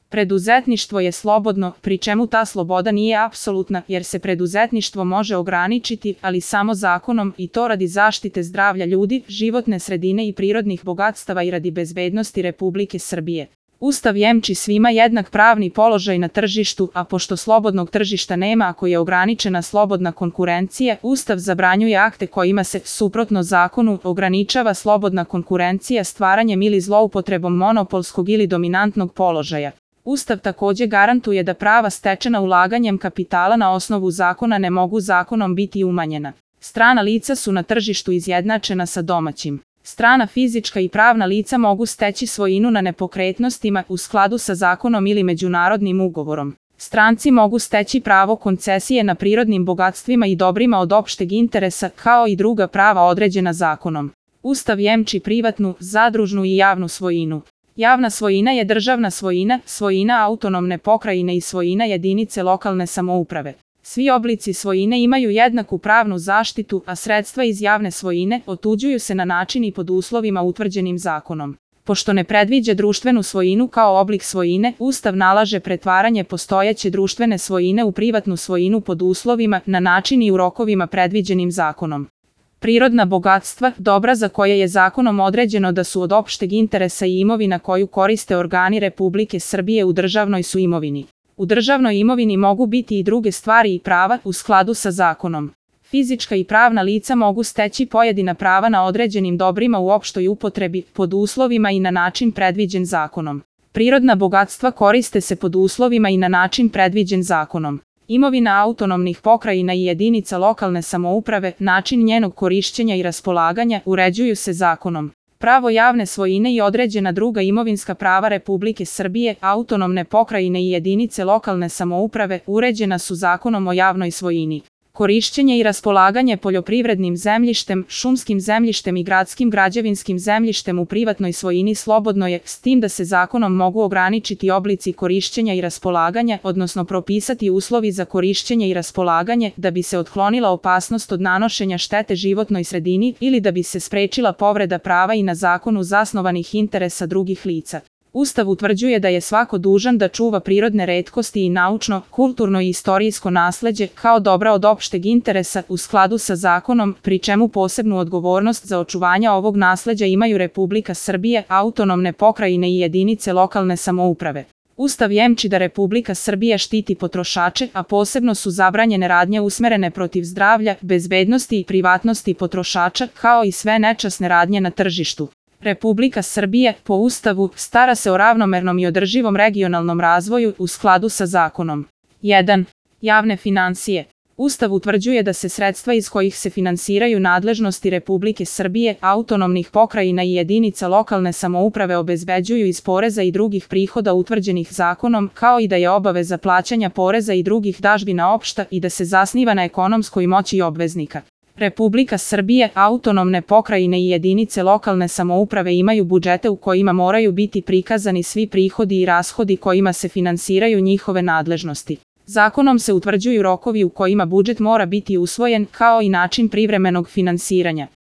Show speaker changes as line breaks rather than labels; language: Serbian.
Preduzetništvo je slobodno, pri čemu ta sloboda nije apsolutna, jer se preduzetništvo može ograničiti, ali samo zakonom, i to radi zaštite zdravlja ljudi, životne sredine i prirodnih bogatstava i radi bezbednosti Republike Srbije. Ustav jemči svima jednak pravni položaj na tržištu, a pošto slobodnog tržišta nema ako je ograničena slobodna konkurencija, Ustav zabranjuje akte kojima se, suprotno zakonu, ograničava slobodna konkurencija stvaranjem ili zloupotrebom monopolskog ili dominantnog položaja. Ustav takođe garantuje da prava stečena ulaganjem kapitala na osnovu zakona ne mogu zakonom biti umanjena. Strana lica su na tržištu izjednačena sa domaćim. Strana fizička i pravna lica mogu steći svojinu na nepokretnostima u skladu sa zakonom ili međunarodnim ugovorom. Stranci mogu steći pravo koncesije na prirodnim bogatstvima i dobrima od opšteg interesa, kao i druga prava određena zakonom. Ustav jemči privatnu, zadružnu i javnu svojinu. Javna svojina je državna svojina, svojina autonomne pokrajine i svojina jedinice lokalne samouprave. Svi oblici svojine imaju jednaku pravnu zaštitu, a sredstva iz javne svojine otuđuju se na način i pod uslovima utvrđenim zakonom. Pošto ne predviđa društvenu svojinu kao oblik svojine, Ustav nalaže pretvaranje postojeće društvene svojine u privatnu svojinu pod uslovima, na način i u rokovima predviđenim zakonom. Prirodna bogatstva, dobra za koje je zakonom određeno da su od opšteg interesa i imovina koju koriste organi Republike Srbije u državnoj su imovini. U državnoj imovini mogu biti i druge stvari i prava u skladu sa zakonom. Fizička i pravna lica mogu steći pojedina prava na određenim dobrima u opštoj upotrebi, pod uslovima i na način predviđen zakonom. Prirodna bogatstva koriste se pod uslovima i na način predviđen zakonom. Imovina autonomnih pokrajina i jedinica lokalne samouprave, način njenog korišćenja i raspolaganja uređuju se zakonom. Pravo javne svojine i određena druga imovinska prava Republike Srbije, autonomne pokrajine i jedinice lokalne samouprave uređena su zakonom o javnoj svojini. Korišćenje i raspolaganje poljoprivrednim zemljištem, šumskim zemljištem i gradskim građevinskim zemljištem u privatnoj svojini slobodno je, s tim da se zakonom mogu ograničiti oblici korišćenja i raspolaganja, odnosno propisati uslovi za korišćenje i raspolaganje, da bi se otklonila opasnost od nanošenja štete životnoj sredini ili da bi se sprečila povreda prava i na zakonu zasnovanih interesa drugih lica. Ustav utvrđuje da je svako dužan da čuva prirodne retkosti i naučno, kulturno i istorijsko nasleđe kao dobra od opšteg interesa u skladu sa zakonom, pri čemu posebnu odgovornost za očuvanje ovog nasleđa imaju Republika Srbije, autonomne pokrajine i jedinice lokalne samouprave. Ustav jemči da Republika Srbija štiti potrošače, a posebno su zabranjene radnje usmerene protiv zdravlja, bezbednosti i privatnosti potrošača, kao i sve nečasne radnje na tržištu. Republika Srbije, po Ustavu, stara se o ravnomernom i održivom regionalnom razvoju u skladu sa zakonom. 1. Javne finansije. Ustav utvrđuje da se sredstva iz kojih se finansiraju nadležnosti Republike Srbije, autonomnih pokrajina i jedinica lokalne samouprave obezbeđuju iz poreza i drugih prihoda utvrđenih zakonom, kao i da je obaveza plaćanja poreza i drugih dažbina opšta i da se zasniva na ekonomskoj moći obveznika. Republika Srbije, autonomne pokrajine i jedinice lokalne samouprave imaju budžete u kojima moraju biti prikazani svi prihodi i rashodi kojima se finansiraju njihove nadležnosti. Zakonom se utvrđuju rokovi u kojima budžet mora biti usvojen, kao i način privremenog finansiranja.